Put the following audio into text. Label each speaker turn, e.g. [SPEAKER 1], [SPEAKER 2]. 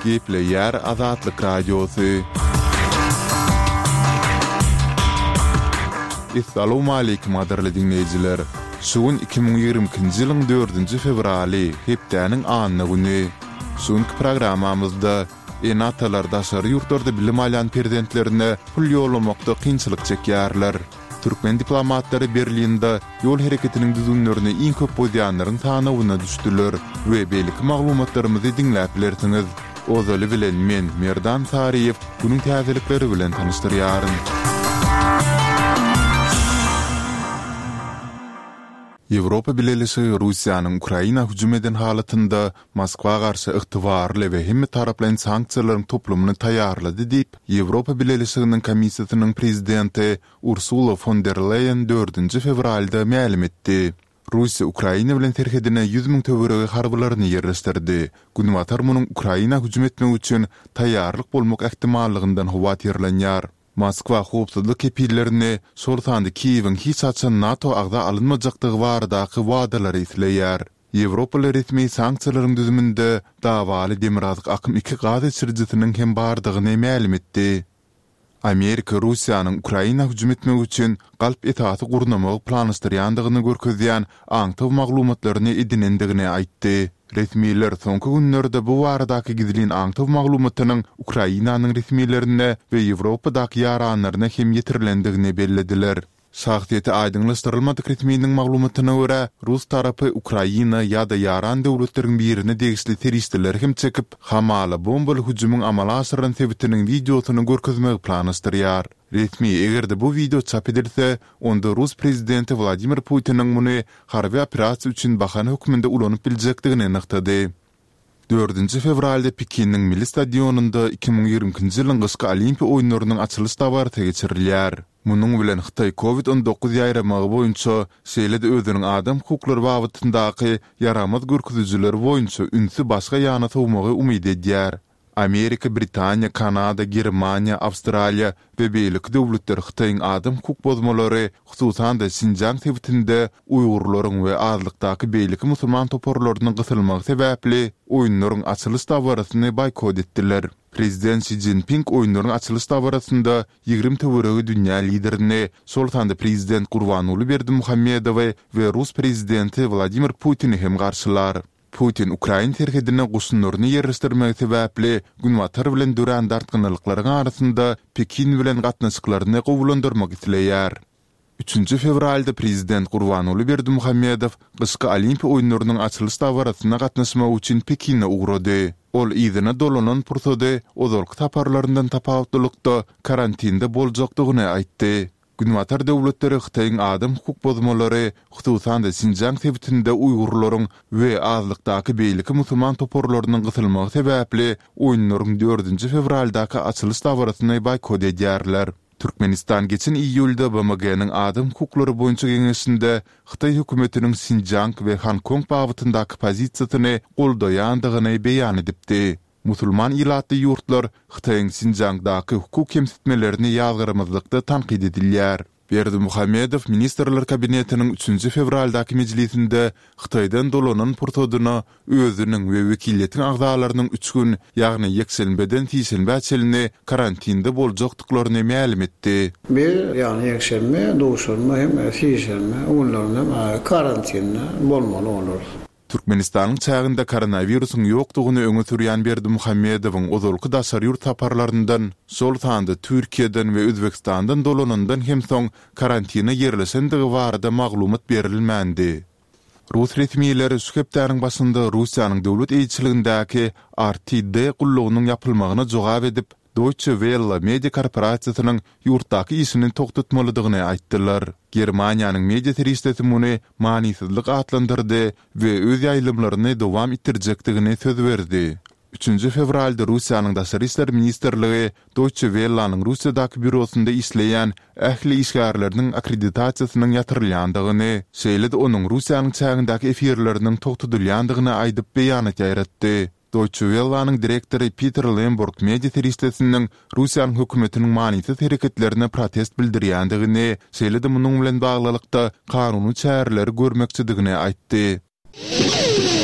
[SPEAKER 1] Gepleýär Azatlyk Radiosy. Essalawmaleýkim gadyrly diňleýjiler! Şu gün 2022-nji ýylyň dördünji fewraly, hepdäniň anna güni. Şu günki programmamyzda ene-atalar daşary ýurtlarda bilim alýan perzentlerine pul ýollamakda kynçylyk çekýärler. Türkmen diplomatlary Berlinde ýol hereketiniň düzgünlerini iň köp bozýanlaryň sanawyna düşdüler we beýleki maglumatlarymyzy diňläp bilersiňiz. Ozaly bilen men, Merdan Saryýew, günüň täzelikleri bilen tanyşdyrýaryn. Ýewropa Bileleşigi Russiýanyň Ukraina hüjüm eden halatynda Moskwa garşy ygtybarly we hemmetaraplaýyn sanksiýalaryň toplumyny taýýarlady diýip, Ýewropa Bileleşiginiň Komissiýasynyň prezidenti Ursula fon der Leýen dördünji fewralda mälim etdi. Russiýa Ukraina bilen serhedine 100 müň töweregi harbylaryny ýerleşdirdi. Günbatar munuň Ukraina hüjüm etmek üçin taýýarlyk bolmak ähtimallygyndan howatyrlanýar. Moskwa howpsuzlyk kepillerini, şol sanda Kiýewiň hiç haçan NATO agza alynmajakdygy baradaky wadalary isleýär. Ýewropaly resmi sanksiýalaryň düzüminde dawaly Demirgazyk akym iki gaz geçirijisiniň hem bardygyny mälim etdi. Amerika Russiýanyň Ukraina hüjüm etmek üçin galp esasy gurnamagy planlaşdyrýandygyny görkezýän aňtaw maglumatlaryny edinendigini aýtdy. Resmiler soňky günlerde bu baradaky gizlin aňtaw maglumatynyň Ukrainanyň resmilerine we Ýewropadaky ýaranlaryna hem ýetirilendigini bellediler. Şahsyýeti aýdyňlaşdyrylmadyk resminiň maglumatyna görä, rus tarapy Ukraina ýa-da ýaran döwletleriň birine degişli serişdeleri hem çekip, hamala bombaly hüjümiň amala aşyrylan sebitiniň wideosyny görkezmegi planlaşdyrýar. Resmi, eger-de bu wideo çap edilse, onda rus prezidenti Wladimir Putiniň muny harby operasiýa üçin bahana hökmünde ulanyp biljekdigini nygtady. Dördünji fewralda Pekiniň Milli stadionynda 2022-nji ýylyň gyşky Olimpiýa oýunlarynyň açylyş dabarasy geçirilýär. Munuň bilen Hytaý Covid 19 ýaýramagy boýunça, şeýle-de özüniň adam hukuklary babatyndaky ýaramaz görkezijileri boýunça ünsi başga ýana sowmagy umyt edýär. Amerika, Britaniýa, Kanada, Germaniýa, Awstraliýa we beýleki döwletler Hytaýyň adam hukuk bozmalary, hususan-da Sinjiang sebitinde uýgurlaryň we azlykdaky beýleki musulman toparlarynyň gysylmagy sebäpli oýunlaryň açylyş dabarasyny boýkot etdiler. Prezident Şi Szinpin oýunlaryň açylyş dabarasynda 20 töweregi dünýä liderini, şol sanda prezident Gurbanguly Berdimuhamedowy we rus prezidenti Wladimir Putini hem garşylar. Putin ukrain serhedine goşunlaryny ýerleşdirmegi sebäpli Günbatar bilen dörän dartgynlylyklaryň arasynda Pekin bilen gatnaşyklaryny gowulandyrmak isleýär. Üçünji fewralda prezident Gurbanguly Berdimuhamedow gyşky Olimpiýa oýunlarynyň açylyş dabarasyna gatnaşmak üçin Pekine ugrady. Ol yzyna dolanan pursady ozalky saparlaryndan tapawutlylykda karantinde boljakdygyny aýtdy. Günbatar döwletleri Hytaýyň adam hukuk bozmalary, hususan-da Sinjiang sebitinde uýgurlaryň we azlykdaky beýleki musulman toparlarynyň gysylmagy sebäpli oýunlaryň dördünji fewraldaky açylyş dabarasyny boýkot edýärler. Türkmenistan geçen iýulda BMG-niň Adam hukuklary boýunça geňeşinde Hytaý hökümetiniň Sinjiang we Honkong babatyndaky pozisiýasyny goldaýandygyny beýan edipdi. Musulman ilatly ýurtlar Hytaýyň Sinjiangdaky hukuk kemsitmelerini ýazgarmazlykda tankyt edilýär. Berdimuhamedow Ministrler Kabinetiniň üçünji fewraldaky mejlisinde Hytaýdan dolanan pursadyna özüniň we wekiliýetiň agzalarynyň üç gün, ýagny ýekşenbeden sişenbä çenli karantinde boljakdyklaryny mälim etdi.
[SPEAKER 2] Biz, ýagny ýekşenbe, duşenbe hem sişenbe günlerinde karantinde bolmaly bolarys.
[SPEAKER 1] Türkmenistanyň çäginde koronawirusyň ýokdugyny öňe sürýän Berdimuhamedowyň ozalky daşary ýurt saparlaryndan, şol sanda Türkiýeden we Özbegistandan dolanandan hem soň karantine ýerleşendigi barada maglumat berilmändi. Rus resmileri şu hepdäniň başynda Russiýanyň döwlet eýeçiligindäki RTD gullugynyň ýapylmagyna jogap edip, Deutsche Welle media korporasiýasynyň ýurtdaky işini togtatmalydygyny aýtdylar. Germaniýanyň media serişdesi muny manysyzlyk atlandyrdy we öz ýaýlymlaryny dowam etdirjekdigini söz berdi. Üçünji fewralda Russiýanyň Daşary işler ministrligi Deutsche Welle-niň Russiýadaky býurosynda işleýän ähli işgärleriniň akkreditasiýasynyň ýatyrylýandygyny, şeýle-de onuň Russiýanyň çägindäki efirleriniň togtadylýandygyny aýdyp beýanat ýaýratdy. Deutsche Welle-niň direktory Peter Lemburg media serişdesiniň Russiýanyň hökümetiniň manysyz hereketlerine protest bildirýändigini, şeýle-de munuň bilen baglylykda kanuny çäreleri görmekçidigini aýtdy.